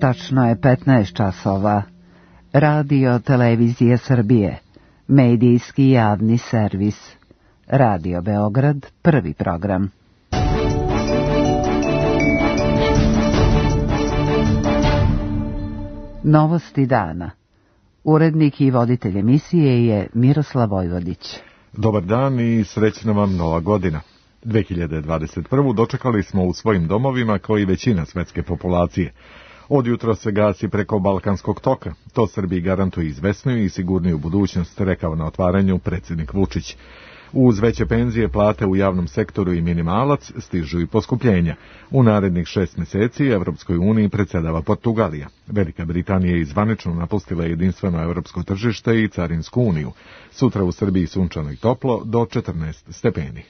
Tačno je 15 časova. Radio Televizije Srbije. Medijski javni servis. Radio Beograd, prvi program. Novosti dana. Urednik i voditelj emisije je Miroslav Vojvodić. Dobar dan i srećna vam nova godina. 2021. dočekali smo u svojim domovima kao i većina svetske populacije. Od jutra se gasi preko Balkanskog toka. To Srbiji garantuje izvesniju i sigurniju budućnost, rekao na otvaranju predsjednik Vučić. Uz veće penzije, plate u javnom sektoru i minimalac stižu i poskupljenja. U narednih 6 mjeseci Evropskoj uniji predsjedava Portugalija. Velika Britanija je zvanično napustila jedinstveno europsko tržište i carinsku uniju. Sutra u Srbiji sunčano i toplo do 14 stepeni.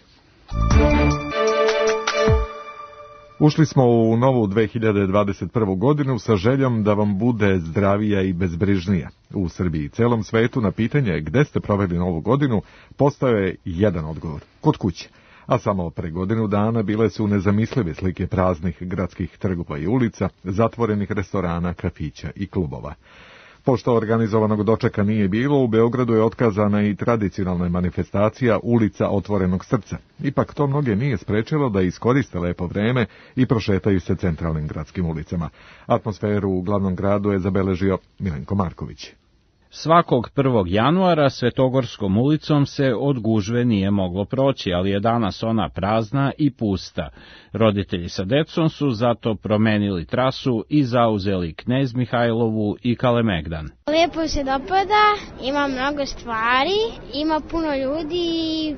Ušli smo u novu 2021. godinu sa željom da vam bude zdravija i bezbrižnija. U Srbiji i celom svetu na pitanje gde ste proveli novu godinu postao je jedan odgovor – kod kuće. A samo pre godinu dana bile su nezamislive slike praznih gradskih trgova i ulica, zatvorenih restorana, kafića i klubova. Pošto organizovanog dočeka nije bilo, u Beogradu je otkazana i tradicionalna manifestacija Ulica otvorenog srca. Ipak to mnoge nije sprečilo da iskoriste lepo vreme i prošetaju se centralnim gradskim ulicama. Atmosferu u glavnom gradu je zabeležio Milenko Marković. Svakog 1. januara Svetogorskom ulicom se od gužve nije moglo proći, ali je danas ona prazna i pusta. Roditelji sa decom su zato promenili trasu i zauzeli Knez Mihajlovu i Kalemegdan. Lijepo se dopada, ima mnogo stvari, ima puno ljudi i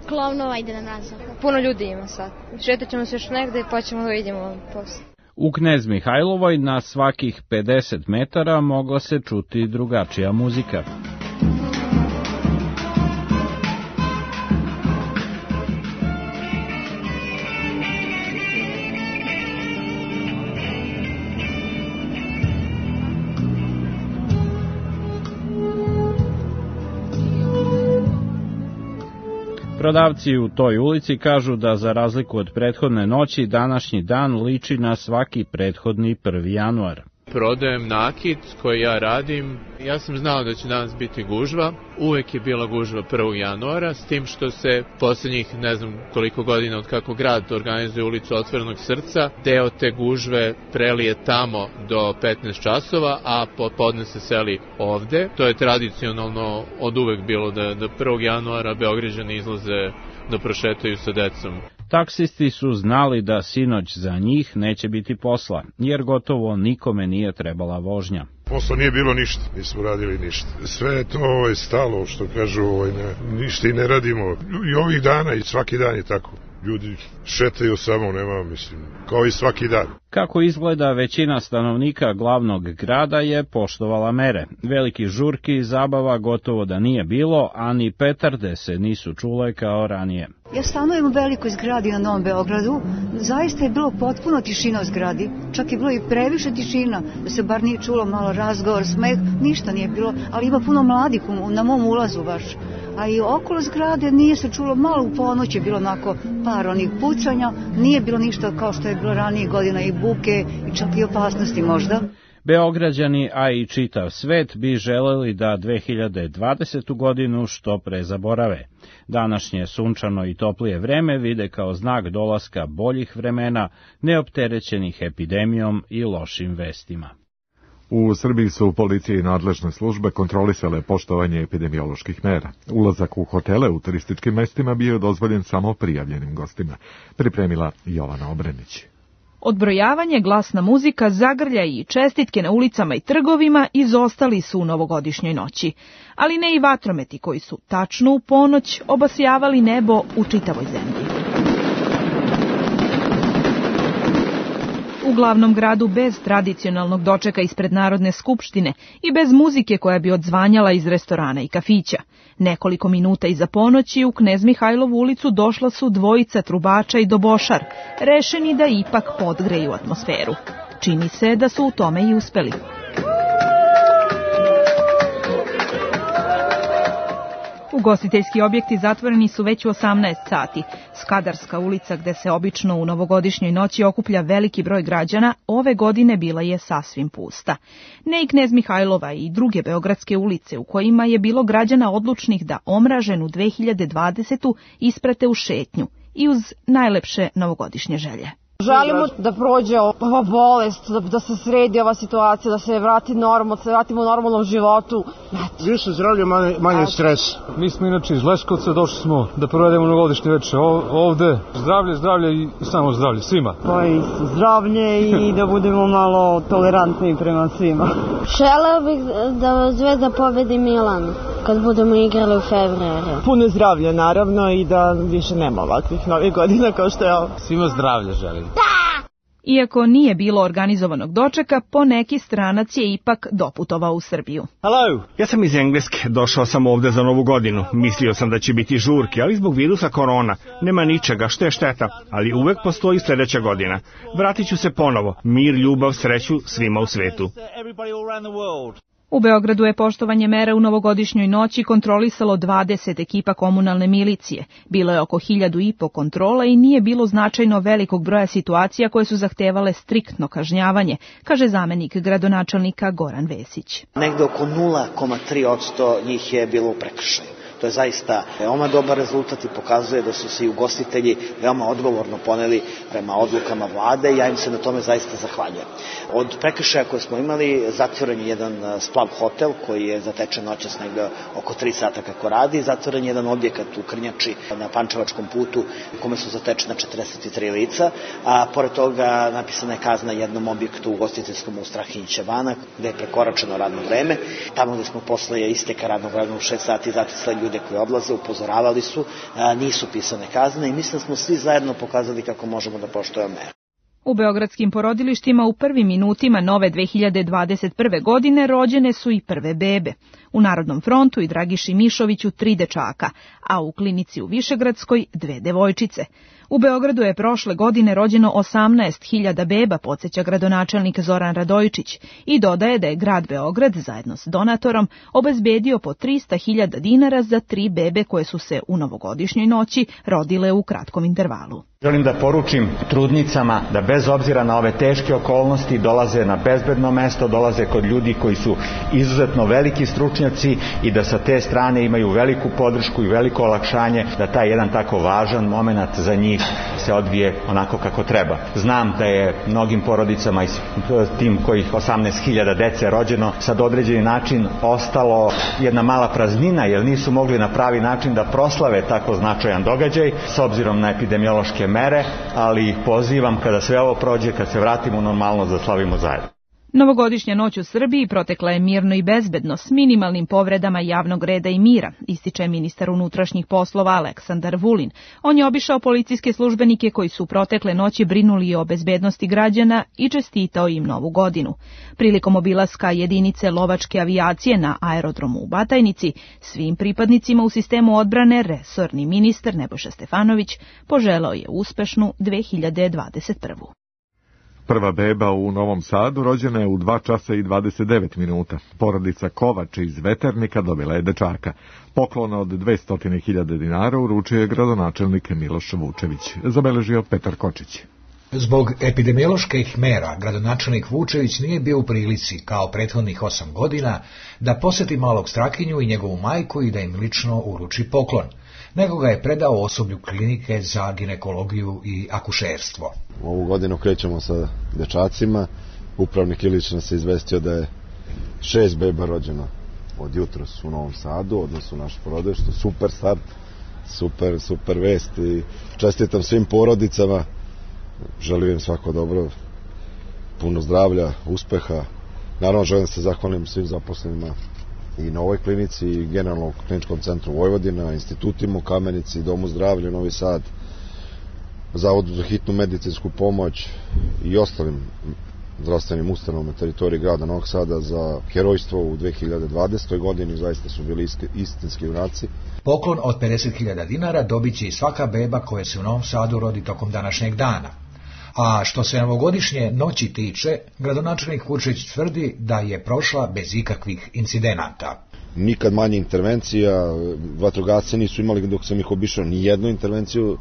klovnova ide na mrazu. Puno ljudi ima sad. Šetat ćemo se još negde pa ćemo da vidimo posle. U Knez Mihajlovoj na svakih 50 metara mogla se čuti drugačija muzika. Prodavci u toj ulici kažu da za razliku od prethodne noći današnji dan liči na svaki prethodni 1. januar. Prodajem nakit koji ja radim. Ja sam znao da će danas biti gužva. Uvek je bila gužva 1. januara, s tim što se posljednjih ne znam koliko godina od kako grad organizuje ulicu otvorenog srca, deo te gužve prelije tamo do 15 časova, a popodne se seli ovde. To je tradicionalno od uvek bilo da 1. januara Beograđani izlaze da prošetaju sa decom. Taksisti su znali da sinoć za njih neće biti posla, jer gotovo nikome nije trebala vožnja. Posla nije bilo ništa, nismo radili ništa. Sve je to stalo, što kažu, ništa i ne radimo. I ovih dana i svaki dan je tako. Ljudi šetaju samo, nema, kao i svaki dan. Kako izgleda, većina stanovnika glavnog grada je poštovala mere. Veliki žurki i zabava gotovo da nije bilo, a ni petarde se nisu čule kao ranije. Ja stanujem u velikoj zgradi na Novom Beogradu. Zaista je bilo potpuno tišina u zgradi. Čak je bilo i previše tišina, da se bar nije čulo malo razgovor, smeh, ništa nije bilo, ali ima puno mladih na mom ulazu baš. A i okolo zgrade nije se čulo, malo u ponoć je bilo onako par onih pucanja, nije bilo ništa kao što je bilo ranije godina i buke i čak i opasnosti možda. Beograđani, a i čitav svet bi želeli da 2020. godinu što pre zaborave. Današnje sunčano i toplije vreme vide kao znak dolaska boljih vremena, neopterećenih epidemijom i lošim vestima. U Srbiji su policije i nadležne službe kontrolisale poštovanje epidemioloških mera. Ulazak u hotele u turističkim mestima bio je dozvoljen samo prijavljenim gostima. Pripremila Jovana Obrenić. Odbrojavanje, glasna muzika, zagrlja i čestitke na ulicama i trgovima izostali su u novogodišnjoj noći, ali ne i vatrometi koji su tačno u ponoć obasjavali nebo u čitavoj zemlji. U glavnom gradu bez tradicionalnog dočeka ispred Narodne skupštine i bez muzike koja bi odzvanjala iz restorana i kafića. Nekoliko minuta iza ponoći u Knez Mihajlovu ulicu došla su dvojica trubača i dobošar, rešeni da ipak podgreju atmosferu. Čini se da su u tome i uspeli. Ugostiteljski objekti zatvoreni su već u 18 sati. Skadarska ulica, gde se obično u novogodišnjoj noći okuplja veliki broj građana, ove godine bila je sasvim pusta. Ne i Knez Mihajlova i druge beogradske ulice u kojima je bilo građana odlučnih da omraženu 2020. isprate u šetnju i uz najlepše novogodišnje želje. Želimo da prođe ova bolest, da se sredi ova situacija, da se vrati normalno, da se vratimo normalnom životu. Više zdravlje, manje stres. Mi smo inače iz Leskovca, došli smo da provedemo novogodišnje večer ovde. Zdravlje i samo zdravlje svima. Pa i zdravlje i da budemo malo tolerantni prema svima. Želeo bih da Zvezda pobedi Milan kad budemo igrali u februaru. Puno zdravlja naravno i da više nema ovakvih novih godina kao što je ovo. Svima zdravlje želim. Iako nije bilo organizovanog dočeka, poneki stranac je ipak doputovao u Srbiju. Hello, ja sam iz Engleske, došao sam ovde za Novu godinu. Mislio sam da će biti žurke, ali zbog virusa korona nema ničega, što je šteta, ali uvek postoji sledeća godina. Vratit ću se ponovo, mir, ljubav, sreću svima u svetu. U Beogradu je poštovanje mera u novogodišnjoj noći kontrolisalo 20 ekipa komunalne milicije. Bilo je oko 1500 kontrola i nije bilo značajno velikog broja situacija koje su zahtevale striktno kažnjavanje, kaže zamenik gradonačelnika Goran Vesić. Negde oko 0,3% njih je bilo u prekršaju. To je zaista veoma dobar rezultat i pokazuje da su se i ugostitelji veoma odgovorno poneli prema odlukama vlade i ja im se na tome zaista zahvaljujem. Od prekršaja koje smo imali, zatvoren je jedan splav hotel koji je zatečen noćas negde oko 3 sata kako radi, zatvoren je jedan objekat u Krnjači na Pančevačkom putu u kome su zatečena 43 lica, a pored toga napisana je kazna jednom objektu u ugostiteljskom u Strahinjića Banak gde je prekoračeno radno vreme. Tamo gde smo posle isteka radnog vremena u 6 sati zatisli ljude koji odlaze, upozoravali su, nisu pisane kazne i mislim da smo svi zajedno pokazali kako možemo da poštujemo mere. U beogradskim porodilištima u prvim minutima nove 2021. godine rođene su i prve bebe. U Narodnom frontu i Dragiši Mišoviću 3 dečaka, a u klinici u Višegradskoj 2 devojčice. U Beogradu je prošle godine rođeno 18.000 beba, podsjeća gradonačelnik Zoran Radojičić, i dodaje da je grad Beograd zajedno s donatorom obezbedio po 300.000 dinara za 3 bebe koje su se u novogodišnjoj noći rodile u kratkom intervalu. Želim da poručim trudnicama da bez obzira na ove teške okolnosti dolaze na bezbedno mesto, dolaze kod ljudi koji su izuzetno veliki stručnjaci i da sa te strane imaju veliku podršku i veliko olakšanje da taj jedan tako važan moment za njih se odvije onako kako treba. Znam da je mnogim porodicama i tim kojih 18.000 dece rođeno sad određeni način ostalo jedna mala praznina jer nisu mogli na pravi način da proslave tako značajan događaj s obzirom na epidemiološke mere, ali ih pozivam kada sve ovo prođe, kad se vratimo u normalnost da slavimo zajedno. Novogodišnja noć u Srbiji protekla je mirno i bezbedno s minimalnim povredama javnog reda i mira, ističe ministar unutrašnjih poslova Aleksandar Vulin. On je obišao policijske službenike koji su protekle noći brinuli o bezbednosti građana i čestitao im Novu godinu. Prilikom obilaska jedinice lovačke avijacije na aerodromu u Batajnici, svim pripadnicima u sistemu odbrane resorni ministar Nebojša Stefanović poželao je uspešnu 2021. Prva beba u Novom Sadu rođena je u 2 časa i 29 minuta. Porodica Kovač iz Veternika dobila je dečaka. Poklon od 200.000 dinara uručio je gradonačelnik Miloš Vučević, zabeležio Petar Kočić. Zbog epidemioloških mera, gradonačelnik Vučević nije bio u prilici, kao prethodnih 8 godina, da poseti malog Strahinju i njegovu majku i da im lično uruči poklon, nego ga je predao osoblju klinike za ginekologiju i akušerstvo. Ovu godinu krećemo sa dečacima. Upravnik Ilić nas je izvestio da je 6 beba rođeno od jutros u Novom Sadu, odnosno naš porodič, što super start, super vest i čestitam svim porodicama, želim im svako dobro, puno zdravlja, uspeha. Naravno želim se zahvalim svim zaposlenima i na ovoj klinici i generalno u Kliničkom centru Vojvodina, institutima u Kamenici, Domu zdravlja Novi Sad, Zavodu za hitnu medicinsku pomoć i ostalim zdravstvenim ustanovama na teritoriji grada Novog Sada za herojstvo u 2020. godini. Zaista su bili istinski junaci. Poklon od 50.000 dinara dobit će i svaka beba koja se u Novom Sadu rodi tokom današnjeg dana. A što se novogodišnje noći tiče, gradonačelnik Vučević tvrdi da je prošla bez ikakvih incidenata. nikad manje intervencija, vatrogasci nisu imali dok sam ih obišao ni jednu intervenciju,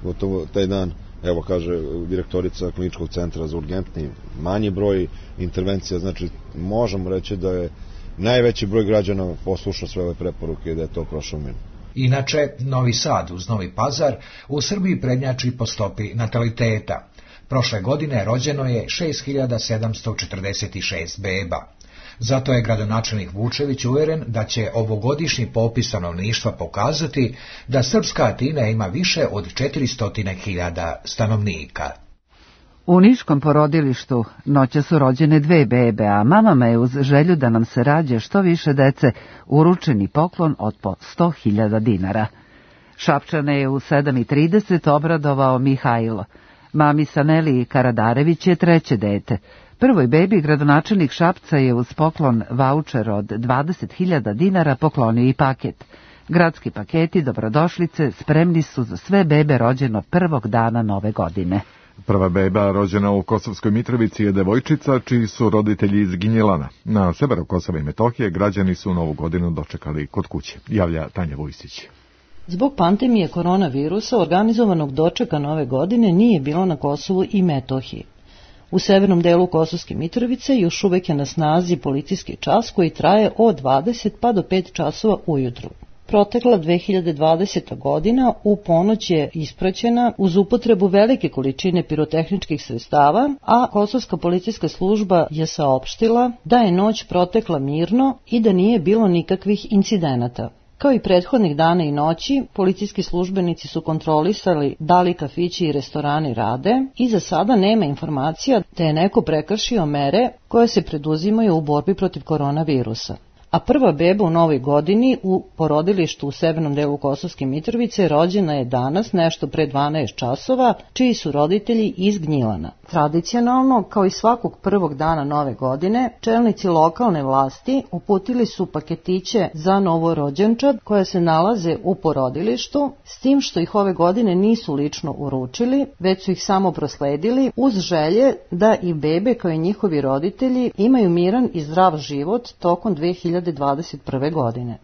gotovo taj dan, evo kaže direktorica kliničkog centra za urgentni, manji broj intervencija, znači možemo reći da je najveći broj građana poslušao sve ove preporuke i da je to prošlo mimo. Inače, Novi Sad uz Novi Pazar u Srbiji prednjači po stopi nataliteta. Prošle godine rođeno je 6746 beba. Zato je gradonačelnik Vučević uveren da će ovogodišnji popis stanovništva pokazati da srpska Atina ima više od 400.000 stanovnika. U niškom porodilištu noća su rođene 2 bebe, a mamama je uz želju da nam se rađe što više dece uručeni poklon od po 100.000 dinara. Šapčane je u 7:30 obradovao Mihajlo. Mami Saneli Karadarević je 3. dete. Prvoj bebi gradonačelnik Šapca je uz poklon vaučer od 20.000 dinara poklonio i paket. Gradski paketi dobrodošlice spremni su za sve bebe rođeno prvog dana nove godine. Prva beba rođena u Kosovskoj Mitrovici je devojčica čiji su roditelji iz Gnjilana. Na severu Kosova i Metohije građani su novu godinu dočekali kod kuće, javlja Tanja Vujsić. Zbog pandemije koronavirusa organizovanog dočeka nove godine nije bilo na Kosovu i Metohiji. U severnom delu Kosovske Mitrovice još uvek je na snazi policijski čas koji traje od 20 pa do 5 časova ujutru. Protekla 2020. godina u ponoć je ispraćena uz upotrebu velike količine pirotehničkih sredstava, a Kosovska policijska služba je saopštila da je noć protekla mirno i da nije bilo nikakvih incidenata. Kao i prethodnih dana i noći, policijski službenici su kontrolisali da li kafići i restorani rade i za sada nema informacija da je neko prekršio mere koje se preduzimaju u borbi protiv koronavirusa. A prva beba u novoj godini u porodilištu u severnom delu Kosovske Mitrovice rođena je danas nešto pre 12 časova, čiji su roditelji iz Gnjilana. Tradicionalno, kao i svakog prvog dana nove godine, čelnici lokalne vlasti uputili su paketiće za novorođenčad koje se nalaze u porodilištu, s tim što ih ove godine nisu lično uručili, već su ih samo prosledili uz želje da i bebe kao i njihovi roditelji imaju miran i zdrav život tokom 2021. godine.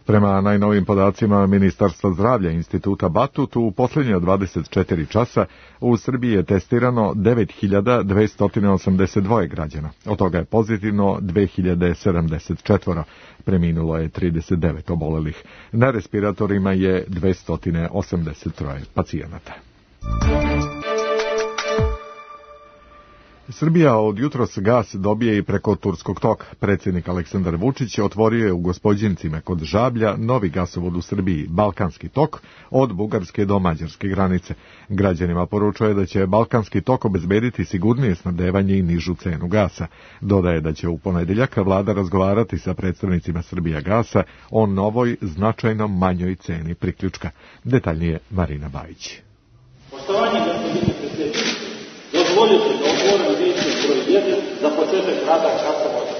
Prema najnovim podacima Ministarstva zdravlja Instituta Batut, u posljednje 24 časa u Srbiji je testirano 9282 građana. Od toga je pozitivno 2074. Preminulo je 39 obolelih. Na respiratorima je 283 pacijenata. Srbija od jutros gas dobije i preko Turskog toka. Predsjednik Aleksandar Vučić otvorio je u Gospođincima kod Žablja novi gasovod u Srbiji, Balkanski tok, od Bugarske do Mađarske granice. Građanima poručuje da će Balkanski tok obezbediti sigurnije snabdevanje i nižu cenu gasa. Dodaje da će u ponedjeljak vlada razgovarati sa predstavnicima Srbijagasa o novoj, značajno manjoj ceni priključka. Detaljnije Marina Bajić. Poštovanje gospodine predsjedniče, dozvolite da otvorim listu broj 1 za početak rada gasovoda.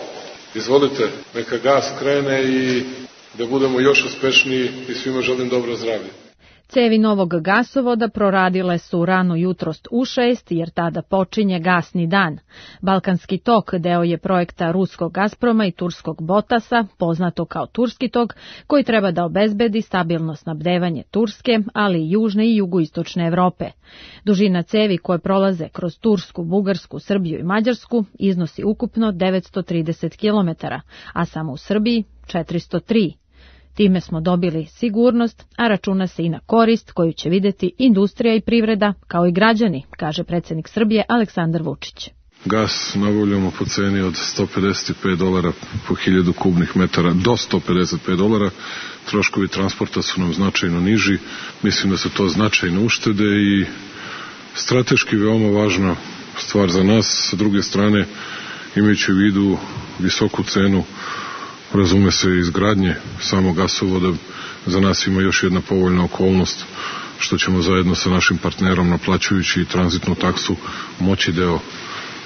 Izvolite, neka gas krene i da budemo još uspešniji i svima želim dobro zdravlje. Cevi novog gasovoda proradile su rano jutrost u 6, jer tada počinje gasni dan. Balkanski tok deo je projekta ruskog Gazproma i turskog Botasa, poznato kao Turski tok, koji treba da obezbedi stabilno snabdevanje Turske, ali i južne i jugoistočne Evrope. Dužina cevi koje prolaze kroz Tursku, Bugarsku, Srbiju i Mađarsku iznosi ukupno 930 km, a samo u Srbiji 403. Time smo dobili sigurnost, a računa se i na korist koju će vidjeti industrija i privreda, kao i građani, kaže predsjednik Srbije Aleksandar Vučić. Gas nabavljamo po ceni od $155 po 1000 kubnih metara do $155. Troškovi transporta su nam značajno niži. Mislim da su to značajne uštede i strateški veoma važna stvar za nas. Sa druge strane, imajući u vidu visoku cenu, razume se izgradnje samog gasovoda, za nas ima još jedna povoljna okolnost što ćemo zajedno sa našim partnerom, naplaćujući tranzitnu taksu, moći deo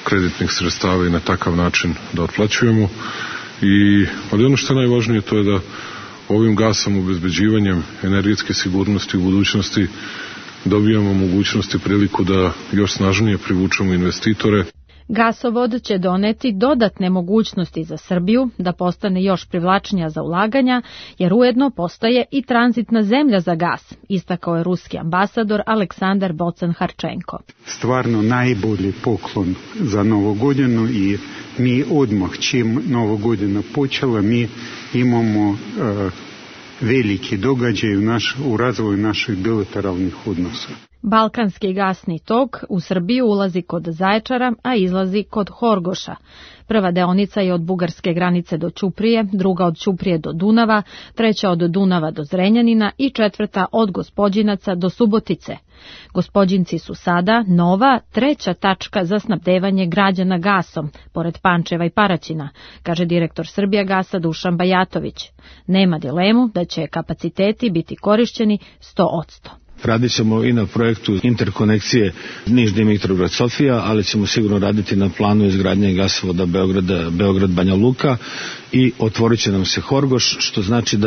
kreditnih sredstava i na takav način da otplaćujemo. Ali ono što je najvažnije, to je da ovim gasom, obezbeđivanjem energetske sigurnosti u budućnosti dobijamo mogućnost i priliku da još snažnije privučemo investitore. Gasovod će doneti dodatne mogućnosti za Srbiju da postane još privlačnija za ulaganja, jer ujedno postaje i tranzitna zemlja za gas, istakao je ruski ambasador Aleksandar Bocan-Harčenko. Stvarno najbolji poklon za Novu godinu i mi odmah čim Nova godina počela, mi imamo veliki događaj u razvoju naših bilateralnih odnosa. Balkanski gasni tok u Srbiju ulazi kod Zaječara, a izlazi kod Horgoša. Prva deonica je od bugarske granice do Ćuprije, druga od Ćuprije do Dunava, treća od Dunava do Zrenjanina i četvrta od Gospođinaca do Subotice. Gospođinci su sada nova, treća tačka za snabdevanje građana gasom, pored Pančeva i Paraćina, kaže direktor Srbijagasa Dušan Bajatović. Nema dilemu da će kapaciteti biti korišćeni 100%. Radit ćemo i na projektu interkonekcije Niš-Dimitrovgrad-Sofija, ali ćemo sigurno raditi na planu izgradnje gasovoda Beograd-Banja Luka i otvorit će nam se Horgoš, što znači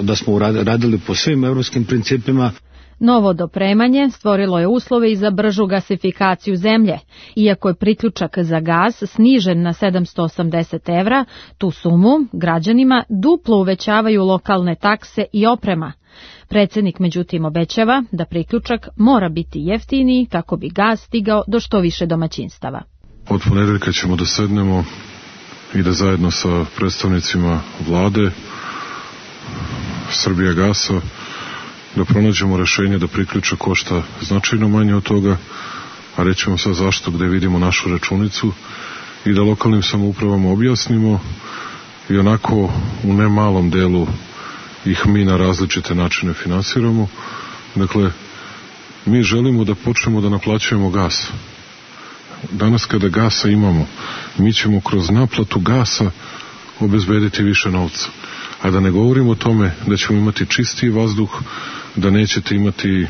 da smo radili po svim evropskim principima. Novo dopremanje stvorilo je uslove i za bržu gasifikaciju zemlje. Iako je priključak za gas snižen na 780 evra, tu sumu građanima duplo uvećavaju lokalne takse i oprema. Predsjednik međutim obećava da priključak mora biti jeftiniji kako bi gas stigao do što više domaćinstava. Od ponedeljka ćemo da sednemo i da zajedno sa predstavnicima vlade Srbijagasa da pronađemo rešenje da priključak košta značajno manje od toga, a rećemo sad zašto gde vidimo našu računicu i da lokalnim samoupravama objasnimo i onako u nemalom delu ih mi na različite načine finansiramo. Dakle, mi želimo da počnemo da naplaćujemo gas. Danas kada gasa imamo, mi ćemo kroz naplatu gasa obezbediti više novca. A da ne govorimo o tome da ćemo imati čistiji vazduh, da nećete imati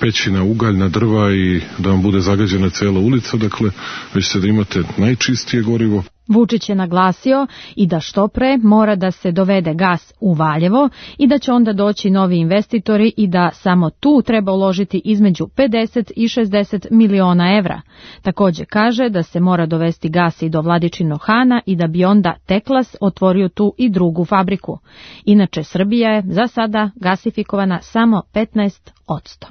pećina ugaljna drva i da vam bude zagađena cela ulica, dakle, već ćete da imate najčistije gorivo. Vučić je naglasio i da što pre mora da se dovede gas u Valjevo i da će onda doći novi investitori i da samo tu treba uložiti između 50 i 60 miliona evra. Također kaže da se mora dovesti gas i do Vladičinog Hana i da bi onda Teklas otvorio tu i drugu fabriku. Inače, Srbija je za sada gasifikovana samo 15%.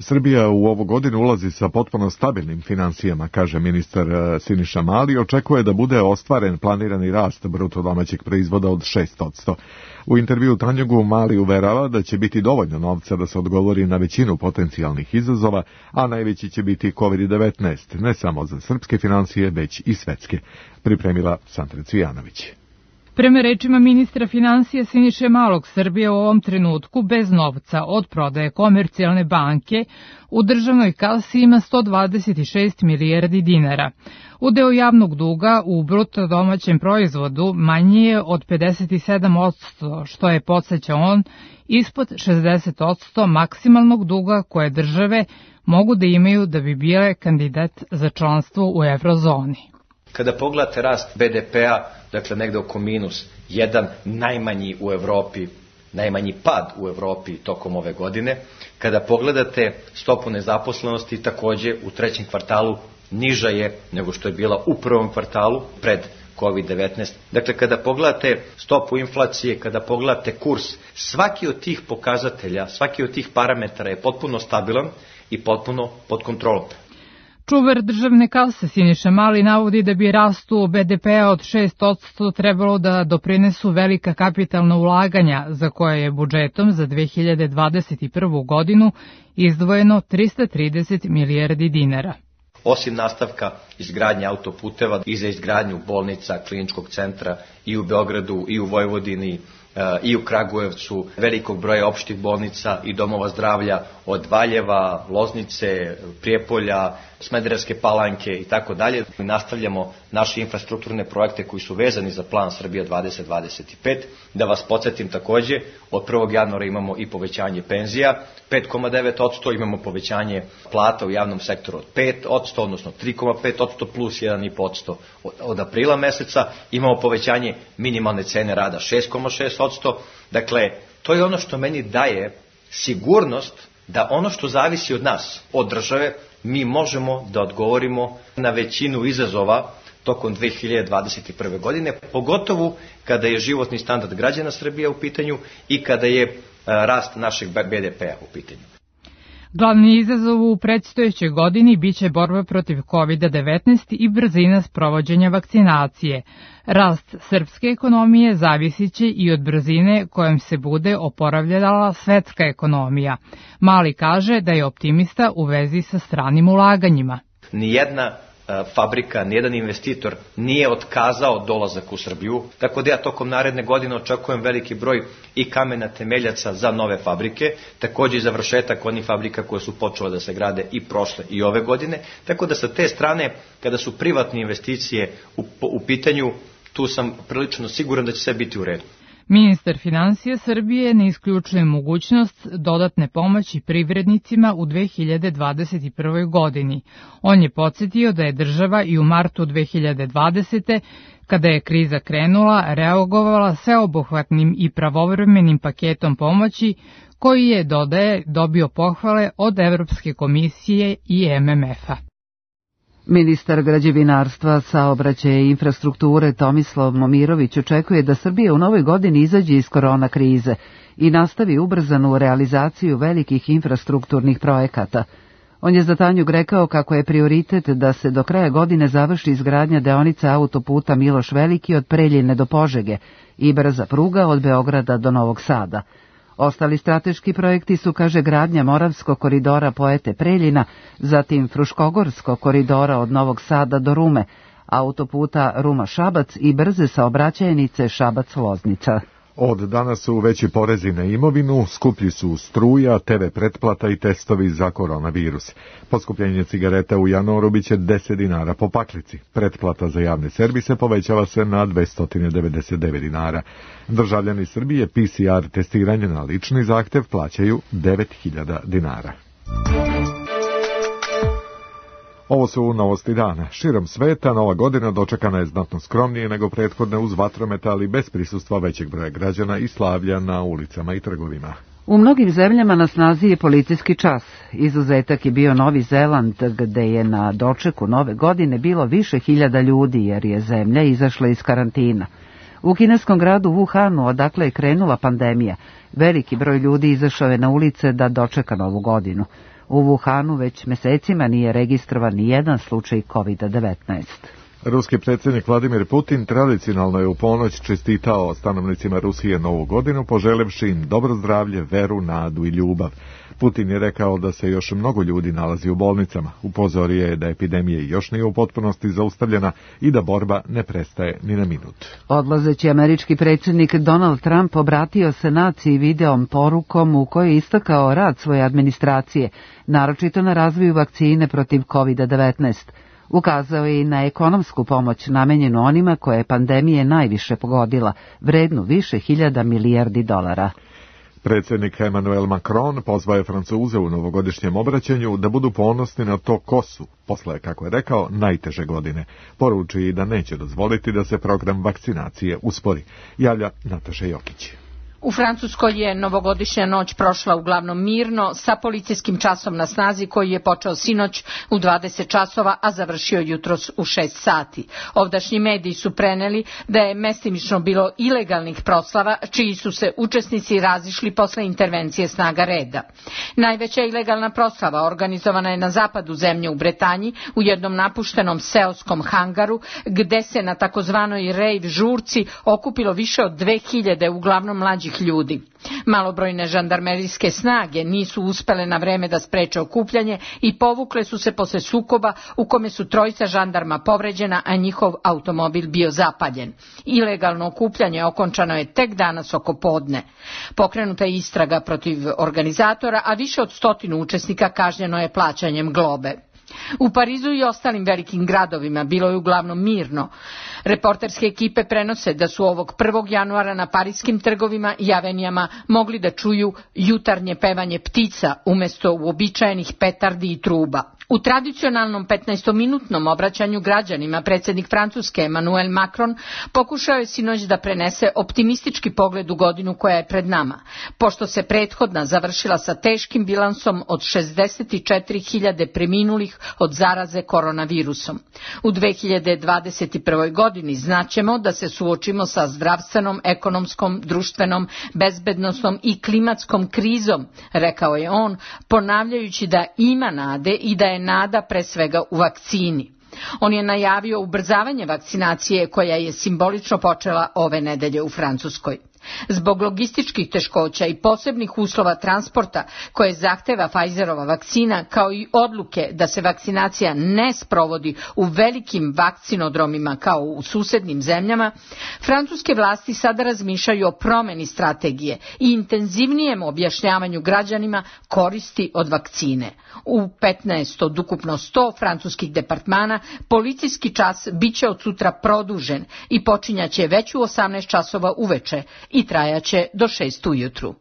Srbija u ovu godinu ulazi sa potpuno stabilnim financijama, kaže ministar Siniša Mali, i očekuje da bude ostvaren planirani rast bruto domaćeg proizvoda od 6%. U intervju Tanjugu Mali uverava da će biti dovoljno novca da se odgovori na većinu potencijalnih izazova, a najveći će biti COVID-19, ne samo za srpske financije, već i svetske. Pripremila Sandra Cvijanović. Prema rečima ministra financija Siniše Malog, Srbija u ovom trenutku bez novca od prodaje Komercijalne banke u državnoj kasi ima 126 milijardi dinara. Udeo javnog duga u bruto domaćem proizvodu manji je od 57%, što je, podsjeća on, ispod 60% maksimalnog duga koje države mogu da imaju da bi bile kandidat za članstvo u eurozoni. Kada pogledate rast BDP-a, dakle negde oko -1, najmanji u Evropi, najmanji pad u Evropi tokom ove godine. Kada pogledate stopu nezaposlenosti, takođe u trećem kvartalu niža je nego što je bila u prvom kvartalu pred COVID-19. Dakle, kada pogledate stopu inflacije, kada pogledate kurs, svaki od tih pokazatelja, svaki od tih parametara je potpuno stabilan i potpuno pod kontrolom. Čuvar državne kase Siniša Mali navodi da bi rastu BDP-a od 6% trebalo da doprinesu velika kapitalna ulaganja, za koje je budžetom za 2021. godinu izdvojeno 330 milijardi dinara. Osim nastavka izgradnje autoputeva i za izgradnju bolnica, kliničkog centra i u Beogradu i u Vojvodini i u Kragujevcu, velikog broja opštih bolnica i domova zdravlja od Valjeva, Loznice, Prijepolja, Smederevske Palanke i tako dalje. Nastavljamo naše infrastrukturne projekte koji su vezani za plan Srbija 2025. Da vas podsjetim takođe, od 1. januara imamo i povećanje penzija, 5,9%, imamo povećanje plata u javnom sektoru od 5%, odnosno 3,5% plus 1,5%. Od aprila meseca imamo povećanje minimalne cene rada 6,6%. Dakle, to je ono što meni daje sigurnost da ono što zavisi od nas, od države, mi možemo da odgovorimo na većinu izazova tokom 2021. godine, pogotovo kada je životni standard građana Srbije u pitanju i kada je rast našeg BDP-a u pitanju. Glavni izazov u predstojećoj godini biće borba protiv COVID-19 i brzina sprovođenja vakcinacije. Rast srpske ekonomije zavisit će i od brzine kojom se bude oporavljala svetska ekonomija. Mali kaže da je optimista u vezi sa stranim ulaganjima. Nijedna fabrika, nijedan investitor nije otkazao dolazak u Srbiju, tako da ja tokom naredne godine očekujem veliki broj i kamena temeljaca za nove fabrike, takođe i završetak onih fabrika koje su počele da se grade i prošle i ove godine, tako da sa te strane, kada su privatne investicije u pitanju, tu sam prilično siguran da će sve biti u redu. Ministar finansija Srbije ne isključuje mogućnost dodatne pomoći privrednicima u 2021. godini. On je podsjetio da je država i u martu 2020. kada je kriza krenula, reagovala sveobuhvatnim i pravovremenim paketom pomoći koji je, dodaje, dobio pohvale od Evropske komisije i MMF-a. Ministar građevinarstva, saobraćaja i infrastrukture Tomislav Momirović očekuje da Srbija u novoj godini izađe iz korona krize i nastavi ubrzanu realizaciju velikih infrastrukturnih projekata. On je za Tanjug rekao kako je prioritet da se do kraja godine završi izgradnja deonice autoputa Miloš Veliki od Preljine do Požege i brza pruga od Beograda do Novog Sada. Ostali strateški projekti su, kaže, gradnja Moravskog koridora Poete Preljina, zatim Fruškogorskog koridora od Novog Sada do Rume, autoputa Ruma-Šabac i brze saobraćajnice Šabac-Loznica. Od danas su veći porezi na imovinu, skuplji su struja, TV pretplata i testovi za koronavirus. Poskupljenje cigareta u januaru biće 10 dinara po paklici. Pretplata za javne servise povećava se na 299 dinara. Državljani Srbije PCR testiranje na lični zahtev plaćaju 9.000 dinara. Ovo su novosti dana. Širom sveta nova godina dočekana je znatno skromnije nego prethodne uz vatrometa, ali bez prisustva većeg broja građana i slavlja na ulicama i trgovima. U mnogim zemljama na snazi je policijski čas. Izuzetak je bio Novi Zeland, gde je na dočeku nove godine bilo više hiljada ljudi jer je zemlja izašla iz karantina. U kineskom gradu Wuhanu, odakle je krenula pandemija, veliki broj ljudi izašao je na ulice da dočeka novu godinu. U Wuhanu već mesecima nije registrovan ni jedan slučaj COVID-19. Ruski predsjednik Vladimir Putin tradicionalno je u ponoć čestitao stanovnicima Rusije novu godinu, poželevši im dobro zdravlje, veru, nadu i ljubav. Putin je rekao da se još mnogo ljudi nalazi u bolnicama. Upozorio je da epidemija još nije u potpunosti zaustavljena i da borba ne prestaje ni na minut. Odlazeći američki predsjednik Donald Trump obratio se naciji videom porukom u kojoj je istakao rad svoje administracije, naročito na razvoju vakcine protiv COVID-19. Ukazao je i na ekonomsku pomoć namenjenu onima koje je pandemije najviše pogodila, vrednu više hiljada milijardi dolara. Predsjednik Emmanuel Macron pozvao je Francuze u novogodišnjem obraćanju da budu ponosni na to ko su, posle, kako je rekao, najteže godine. Poruči i da neće dozvoliti da se program vakcinacije uspori. Javlja Nataša Jokić. U Francuskoj je novogodišnja noć prošla uglavnom mirno, sa policijskim časom na snazi koji je počeo sinoć u 20 časova, a završio jutros u 6 sati. Ovdašnji mediji su preneli da je mestimično bilo ilegalnih proslava, čiji su se učesnici razišli posle intervencije snaga reda. Najveća ilegalna proslava organizovana je na zapadu zemlje u Bretanji, u jednom napuštenom seoskom hangaru, gde se na takozvanoj rave žurci okupilo više od 2000 uglavnom mlađih ljudi. Malobrojne žandarmerijske snage nisu uspele na vreme da spreče okupljanje i povukle su se posle sukoba u kome su trojica žandarma povređena, a njihov automobil bio zapaljen. Ilegalno okupljanje okončano je tek danas oko podne. Pokrenuta je istraga protiv organizatora, a više od 100 učesnika kažnjeno je plaćanjem globe. U Parizu i ostalim velikim gradovima bilo je uglavnom mirno. Reporterske ekipe prenose da su ovog 1. januara na pariskim trgovima i avenijama mogli da čuju jutarnje pevanje ptica umjesto uobičajenih petardi i truba. U tradicionalnom 15-minutnom obraćanju građanima predsjednik Francuske Emmanuel Macron pokušao je sinoć da prenese optimistički pogled u godinu koja je pred nama, pošto se prethodna završila sa teškim bilansom od 64.000 preminulih od zaraze koronavirusom. U 2021. godini znaćemo da se suočimo sa zdravstvenom, ekonomskom, društvenom, bezbednosnom i klimatskom krizom, rekao je on, ponavljajući da ima nade i da je nada pre svega u vakcini. On je najavio ubrzavanje vakcinacije koja je simbolično počela ove nedelje u Francuskoj. Zbog logističkih teškoća i posebnih uslova transporta koje zahteva Pfizerova vakcina, kao i odluke da se vakcinacija ne sprovodi u velikim vakcinodromima kao u susednim zemljama, francuske vlasti sada razmišljaju o promeni strategije i intenzivnijem objašnjavanju građanima koristi od vakcine. U 15 od ukupno 100 francuskih departmana policijski čas biće od sutra produžen i počinjaće već u 18 časova uveče i trajaće do 6 ujutru.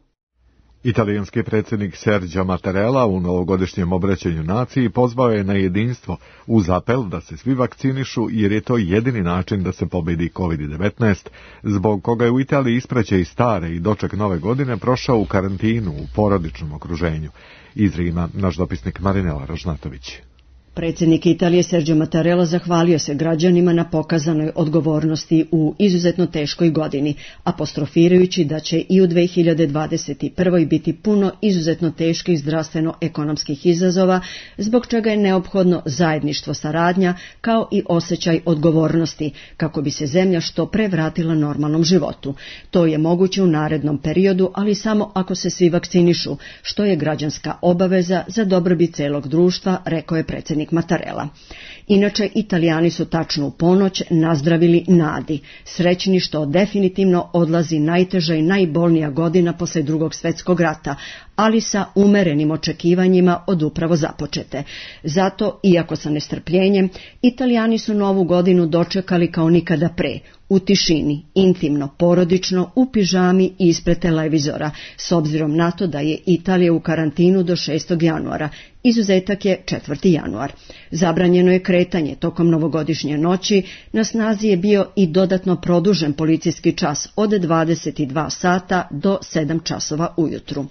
Italijanski predsjednik Sergio Mattarella u novogodišnjem obraćanju naciji pozvao je na jedinstvo uz apel da se svi vakcinišu jer je to jedini način da se pobedi COVID-19, zbog koga je u Italiji ispraćaj stare i doček nove godine prošao u karantinu u porodičnom okruženju. Iz Rima naš dopisnik Marinela Ražnatović. Predsjednik Italije Sergio Mattarella zahvalio se građanima na pokazanoj odgovornosti u izuzetno teškoj godini, apostrofirajući da će i u 2021. biti puno izuzetno teških zdravstveno-ekonomskih izazova, zbog čega je neophodno zajedništvo, saradnja, kao i osjećaj odgovornosti, kako bi se zemlja što pre vratila normalnom životu. To je moguće u narednom periodu, ali samo ako se svi vakcinišu, što je građanska obaveza za dobrobit celog društva, rekao je predsjednik Mattarella. Inače, Italijani su tačno u ponoć nazdravili nadi, srećni što definitivno odlazi najteža i najbolnija godina posle Drugog svjetskog rata, ali sa umerenim očekivanjima od upravo započete. Zato, iako sa nestrpljenjem, Italijani su novu godinu dočekali kao nikada pre, u tišini, intimno, porodično, u pižami i ispred televizora, s obzirom na to da je Italija u karantinu do 6. januara. Izuzetak je 4. januar. Zabranjeno je kretanje tokom novogodišnje noći, na snazi je bio i dodatno produžen policijski čas od 22 sata do 7 časova ujutru.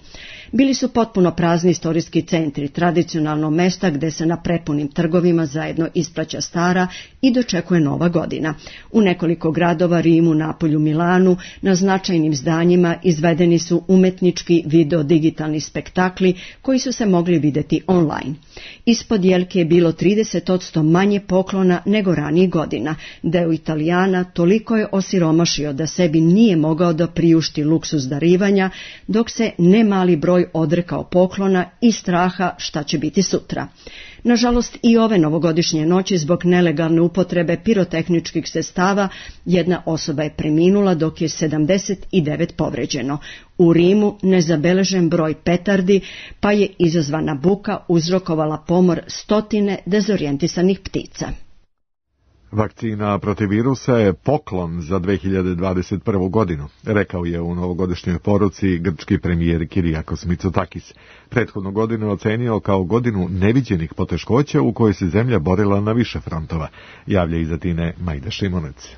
Bili su potpuno prazni istorijski centri, tradicionalno mesta gde se na prepunim trgovima zajedno ispraća stara i dočekuje nova godina. U nekoliko gradova, Rimu, Napolju, Milanu, na značajnim zdanjima izvedeni su umetnički video-digitalni spektakli koji su se mogli videti online. Ispod jelke je bilo 30% manje poklona nego ranijih godina. Deo Italijana toliko je osiromašio da sebi nije mogao da priušti luksuz darivanja, dok se nemali broj odrekao poklona i straha šta će biti sutra. Nažalost, i ove novogodišnje noći zbog nelegalne upotrebe pirotehničkih sredstava jedna osoba je preminula, dok je 79 povređeno. U Rimu nezabeležen broj petardi, pa je izazvana buka uzrokovala pomor stotine dezorijentisanih ptica. Vakcina protiv virusa je poklon za 2021. godinu, rekao je u novogodišnjoj poruci grčki premijer Kyriakos Mitsotakis. Prethodnu godinu ocenio kao godinu neviđenih poteškoća u kojoj se zemlja borila na više frontova, javlja iz Atine Majda Šimonec.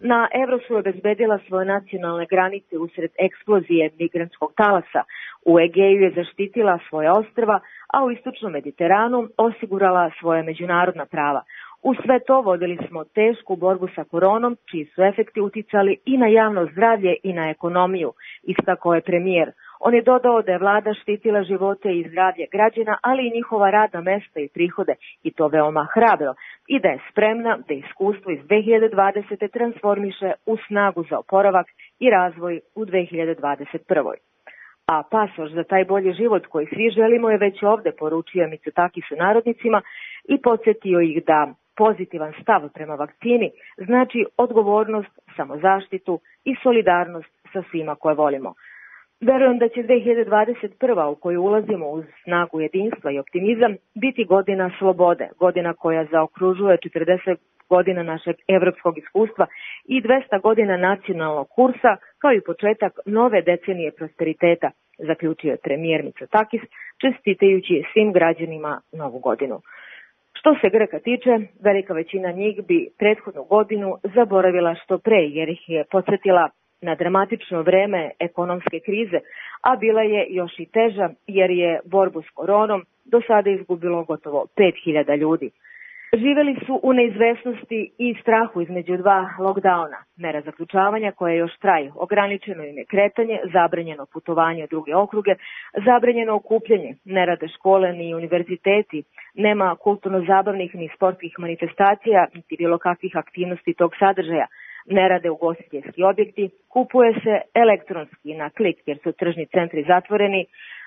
Na Evrosu je obezbedila svoje nacionalne granice usred eksplozije migrantskog talasa. U Egeju je zaštitila svoje ostrva, a u istočnom Mediteranu osigurala svoje međunarodna prava. U sve to vodili smo tešku borbu sa koronom, čiji su efekti uticali i na javno zdravlje i na ekonomiju, istakao je premijer. On je dodao da je vlada štitila živote i zdravlje građana, ali i njihova radna mesta i prihode, i to veoma hrabro, i da je spremna da iskustvo iz 2020. transformiše u snagu za oporavak i razvoj u 2021. A pasoš za taj bolji život koji svi želimo je već ovde, poručio Mitsotakis narodnicima i podsjetio ih da pozitivan stav prema vakcini znači odgovornost, samozaštitu i solidarnost sa svima koje volimo. Verujem da će 2021. u koju ulazimo uz snagu jedinstva i optimizam biti godina slobode, godina koja zaokružuje 40 godina našeg evropskog iskustva i 200 godina nacionalnog kursa, kao i početak nove decenije prosperiteta, zaključio je premijer Mitsotakis, čestitajući svim građanima novu godinu. Što se Grka tiče, velika većina njih bi prethodnu godinu zaboravila što pre, jer ih je podsjetila na dramatično vreme ekonomske krize, a bila je još i teža jer je borbu s koronom do sada izgubilo gotovo 5000 ljudi. Živeli su u neizvesnosti i strahu između dva lockdowna, mera zaključavanja koje još traju, ograničeno im je kretanje, zabranjeno putovanje u druge okruge, zabranjeno okupljanje, ne rade škole ni univerziteti, nema kulturno-zabavnih ni sportskih manifestacija, niti bilo kakvih aktivnosti tog sadržaja, ne rade ugostiteljski objekti, kupuje se elektronski na klik jer su tržni centri zatvoreni,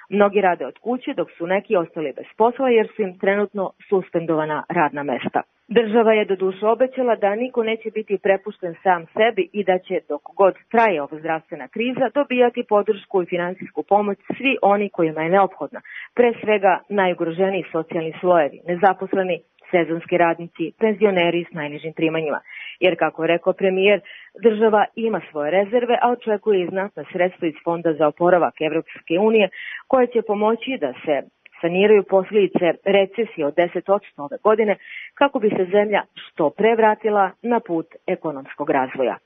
mnogi rade od kuće dok su neki ostali bez posla jer su im trenutno suspendovana radna mesta. Država je doduše obećala da niko neće biti prepušten sam sebi i da će dok god traje ova zdravstvena kriza dobijati podršku i finansijsku pomoć svi oni kojima je neophodna, pre svega najugroženiji socijalni slojevi, nezaposleni, sezonski radnici, penzioneri s najnižim primanjima. Jer, kako je rekao premijer, država ima svoje rezerve, a očekuje i znatna sredstva iz Fonda za oporavak Evropske unije, koje će pomoći da se saniraju posljedice recesije od 10% ove godine, kako bi se zemlja što pre vratila na put ekonomskog razvoja.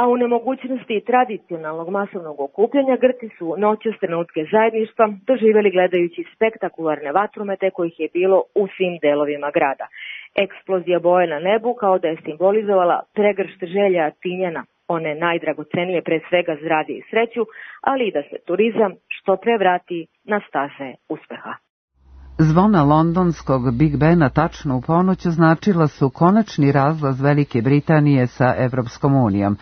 A u nemogućnosti tradicionalnog masovnog okupljanja Grci su noćas trenutke zajedništva doživjeli gledajući spektakularne vatromete kojih je bilo u svim delovima grada. Eksplozija boje na nebu kao da je simbolizovala pregršt želja Tinjana, one najdragocenije pre svega zdravlje i sreću, ali i da se turizam što pre vrati na staze uspeha. Zvona londonskog Big Bena tačno u ponoć označila su konačni razlaz Velike Britanije sa Evropskom unijom.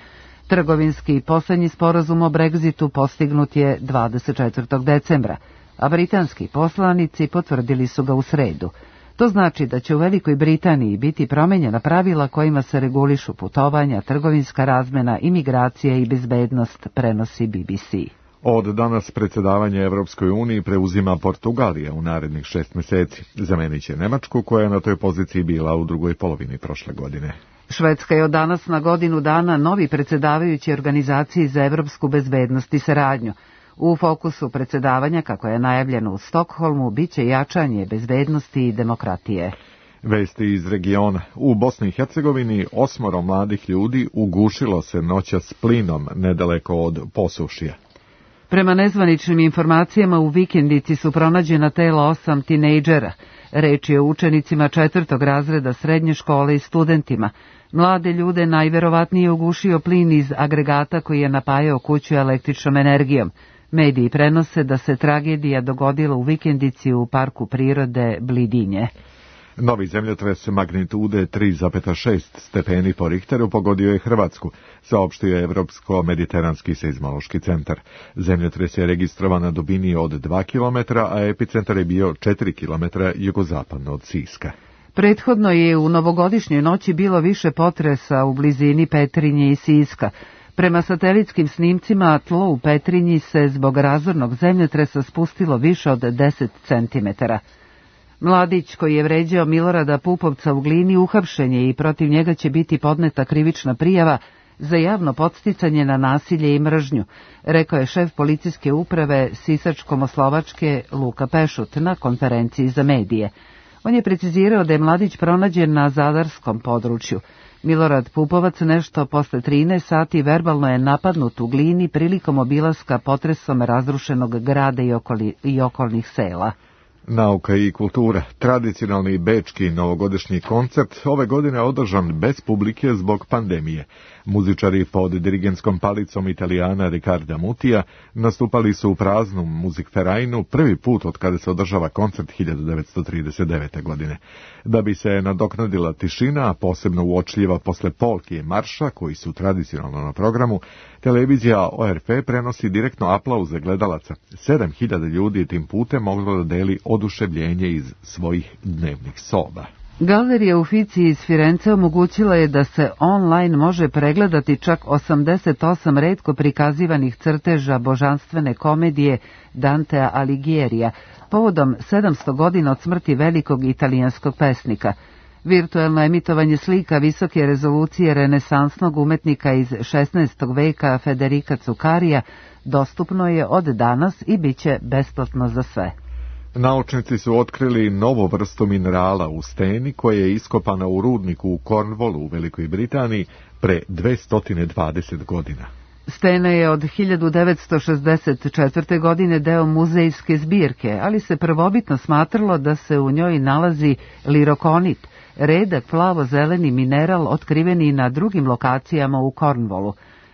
Trgovinski poslednji sporazum o Brexitu postignut je 24. decembra, a britanski poslanici potvrdili su ga u sredu. To znači da će u Velikoj Britaniji biti promenjena pravila kojima se regulišu putovanja, trgovinska razmena, imigracija i bezbednost, prenosi BBC. Od danas predsjedavanje Evropskoj uniji preuzima Portugalija u narednih 6 meseci. Zamenit će Nemačku, koja je na toj poziciji bila u drugoj polovini prošle godine. Švedska je od danas na godinu dana novi predsjedavajući Organizaciji za evropsku bezbednost i saradnju. U fokusu predsjedavanja, kako je najavljeno u Stokholmu, bit će jačanje bezbednosti i demokratije. Vesti iz regiona. U Bosni i Hercegovini 8 mladih ljudi ugušilo se noćas plinom nedaleko od Posušja. Prema nezvaničnim informacijama u vikendici su pronađena tela 8 tinejdžera. Reč je o učenicima 4. razreda srednje škole i studentima. Mlade ljude najverovatnije ugušio plin iz agregata koji je napajao kuću električnom energijom. Mediji prenose da se tragedija dogodila u vikendici u parku prirode Blidinje. Novi zemljotres magnitude 3,6 stepeni po Richteru pogodio je Hrvatsku, saopštio je Evropsko-mediteranski seizmološki centar. Zemljotres je registrovan na dubini od 2 km, a epicentar je bio 4 km jugozapadno od Siska. Prethodno je u novogodišnjoj noći bilo više potresa u blizini Petrinje i Siska. Prema satelitskim snimcima, tlo u Petrinji se zbog razornog zemljotresa spustilo više od 10 cm. Mladić koji je vređao Milorada Pupovca u Glini uhapšen je i protiv njega će biti podneta krivična prijava za javno podsticanje na nasilje i mržnju, rekao je šef policijske uprave Sisačko-Moslovačke Luka Pešut na konferenciji za medije. On je precizirao da je mladić pronađen na zadarskom području. Milorad Pupovac nešto posle 13 sati verbalno je napadnut u Glini prilikom obilaska potresom razrušenog grada i okolnih sela. Nauka i kultura. Tradicionalni bečki novogodišnji koncert ove godine održan bez publike zbog pandemije. Muzičari pod dirigentskom palicom Italijana Riccarda Mutija nastupali su u praznom Musikvereinu prvi put od kada se održava koncert 1939. godine. Da bi se nadoknadila tišina, a posebno uočljiva posle polke i marša, koji su tradicionalno na programu, televizija ORF prenosi direktno aplauze gledalaca. 7000 ljudi tim putem moglo da deli oduševljenje iz svojih dnevnih soba. Galerija Uffizi iz Firence omogućila je da se online može pregledati čak 88 retko prikazivanih crteža božanstvene komedije Dantea Alighiera, povodom 700 godina od smrti velikog italijanskog pesnika. Virtuelno emitovanje slika visoke rezolucije renesansnog umetnika iz 16. veka Federica Cuccaria dostupno je od danas i bit će besplatno za sve. Naučnici su otkrili novu vrstu minerala u steni koja je iskopana u rudniku u Cornwallu u Velikoj Britaniji pre 220 godina. Stena je od 1964. godine deo muzejske zbirke, ali se prvobitno smatralo da se u njoj nalazi lirokonit, redak plavo-zeleni mineral otkriveni i na drugim lokacijama u Cornwallu.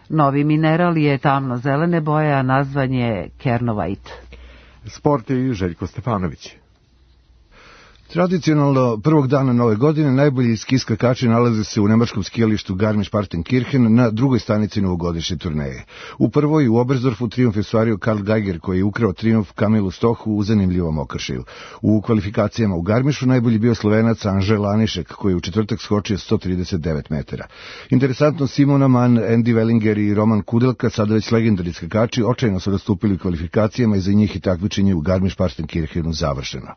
Novi mineral je tamno-zelene boje, a nazvan je Kernovite. Sport i Željko Stefanović. Tradicionalno, prvog dana nove godine najbolji ski skakači nalaze se u nemačkom skijalištu Garmisch-Partenkirchen na drugoj stanici novogodišnje turneje. U prvoj u Oberstdorfu trijumf je ostvario Karl Geiger, koji je ukrao trijumf Kamilu Stohu u zanimljivom okršaju. U kvalifikacijama u Garmišu najbolji bio Slovenac Anže Lanišek, koji je u četvrtak skočio 139 metara. Interesantno, Simona Mann, Andy Wellinger i Roman Kudelka, sada već legendarni skakači, očajno su nastupili u kvalifikacijama i za njih i takmičenje u Garmisch-Partenkirchenu završeno.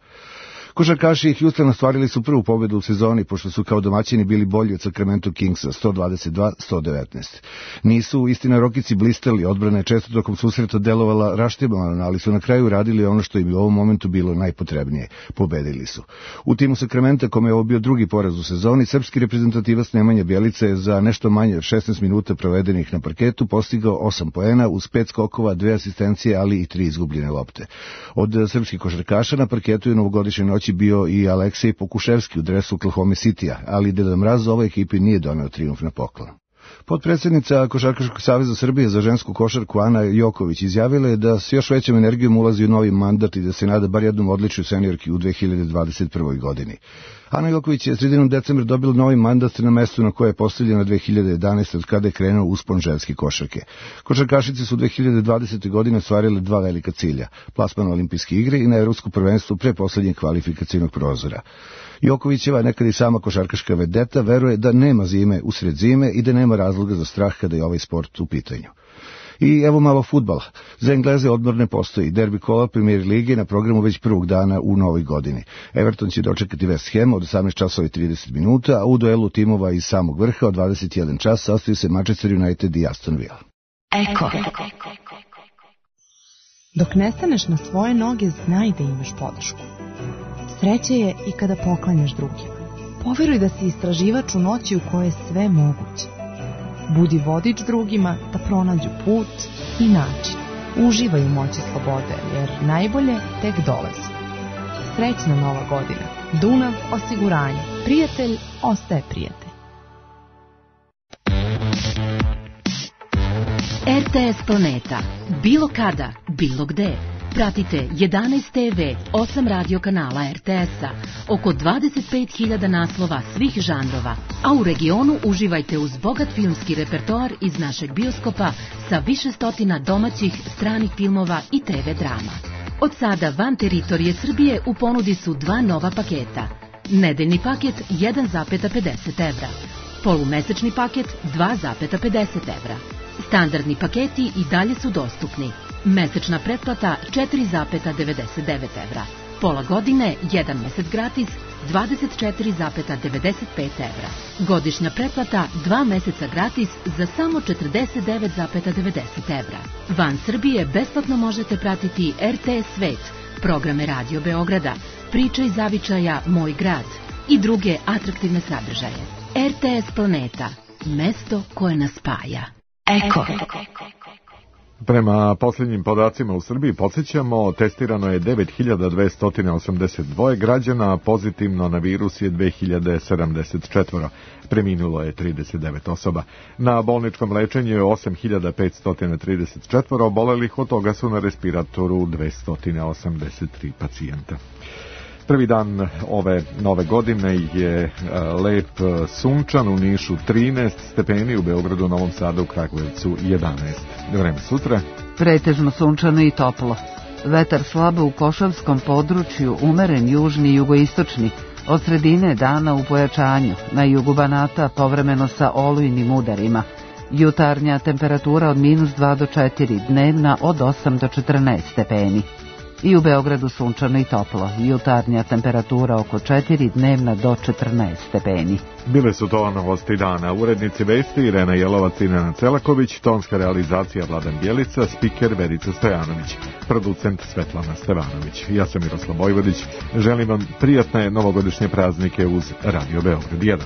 Košarkaši Houstona ostvarili su prvu pobedu u sezoni, pošto su kao domaćini bili bolji od Sacramento Kingsa, 122-119. Nisu, istina, Rokici blistali, odbrana je često tokom susreta delovala raštebano, ali su na kraju radili ono što im u ovom momentu bilo najpotrebnije. Pobedili su. U timu Sacramenta, kome je ovo bio drugi poraz u sezoni, srpski reprezentativac Nemanja Bjelica je za nešto manje od 16 minuta provedenih na parketu postigao 8 poena uz 5 skokova, 2 asistencije, ali i 3 izgubljene lopte. Od srpskih košarkaša na parketu je novogodišnje noći bio i Aleksej Pokuševski u dresu Oklahoma Citya, ali Deda Mraz ovoj ekipi nije doneo trijumf na poklon. Potpredsjednica Košarkaškog saveza Srbije za žensku košarku Ana Joković izjavila je da s još većom energijom ulazi u novi mandat i da se nada bar jednom odličju seniorki u 2021. godini. Ana Joković je sredinom decembra dobila novi mandat na mestu na koje je postavljena 2011. od kada je krenuo uspon ženske košarke. Košarkašice su 2020. godine ostvarile 2 velika cilja, plasman na olimpijske igre i na evropsko prvenstvo pre poslednjeg kvalifikacijnog prozora. Jokovićeva, nekad i sama košarkaška vedeta, veruje da nema zime usred zime i da nema razloga za strah kada je ovaj sport u pitanju. I evo malo fudbala. Za Engleze odmor ne postoji. Derbi kola Premier lige na programu već prvog dana u novoj godini. Everton će dočekati West Ham od 18:30, a u duelu timova iz samog vrha od 21 čas sastaju se Manchester United i Aston Villa. Eko. Dok ne staneš na svoje noge, znaj da imaš podršku. Sreće je i kada poklanjaš drugima. Poveruj da si istraživač u noći u kojoj je sve moguće. Budi vodič drugima da pronađu put i način. Uživaj u moći slobode, jer najbolje tek dolazi. Srećna nova godina. Dunav osiguranje. Prijatelj ostaje prijatelj. RTS Planeta. Bilo kada, bilo gde. Pratite 11 TV, 8 radio kanala RTS-a, oko 25.000 naslova svih žanrova, a u regionu uživajte uz bogat filmski repertoar iz našeg bioskopa sa više stotina domaćih, stranih filmova i TV drama. Od sada van teritorije Srbije u ponudi su 2 nova paketa. Nedeljni paket 1,50 evra, polumesečni paket 2,50 evra. Standardni paketi i dalje su dostupni. Mesečna pretplata 4,99 evra. Pola godine, 1 mesec gratis, 24,95 evra. Godišnja pretplata 2 meseca gratis za samo 49,90 evra. Van Srbije besplatno možete pratiti RTS Svet, programe Radio Beograda, Priče iz zavičaja Moj grad i druge atraktivne sadržaje. RTS Planeta, mesto koje nas spaja. Eko. Prema posljednjim podacima u Srbiji, podsjećamo, testirano je 9282 građana, pozitivno na virus je 2074. Preminulo je 39 osoba. Na bolničkom lečenju je 8534 obolelih, od toga su na respiratoru 283 pacijenta. Prvi dan ove nove godine je lep, sunčan, u Nišu 13 stepeni, u Beogradu, Novom Sadu, Kragujevcu 11. Vreme sutra. Pretežno sunčano i toplo. Vetar slabo u Košavskom području, umeren južni i jugoistočni, od sredine dana u pojačanju, na jugu Banata povremeno sa olujnim udarima. Jutarnja temperatura od -2 do 4, dnevna od 8 do 14 stepeni. I u Beogradu sunčano i toplo, jutarnja temperatura oko 4, dnevna do 14 stepeni. Bile su to novosti dana. Urednici vesti Irena Jelovac i Nenad Celaković, tonska realizacija Vladan Bjelica, spiker Verica Stojanović, producent Svetlana Stevanović. Ja sam Miroslav Vojvodić. Želim vam prijatne novogodišnje praznike uz Radio Beograd 1.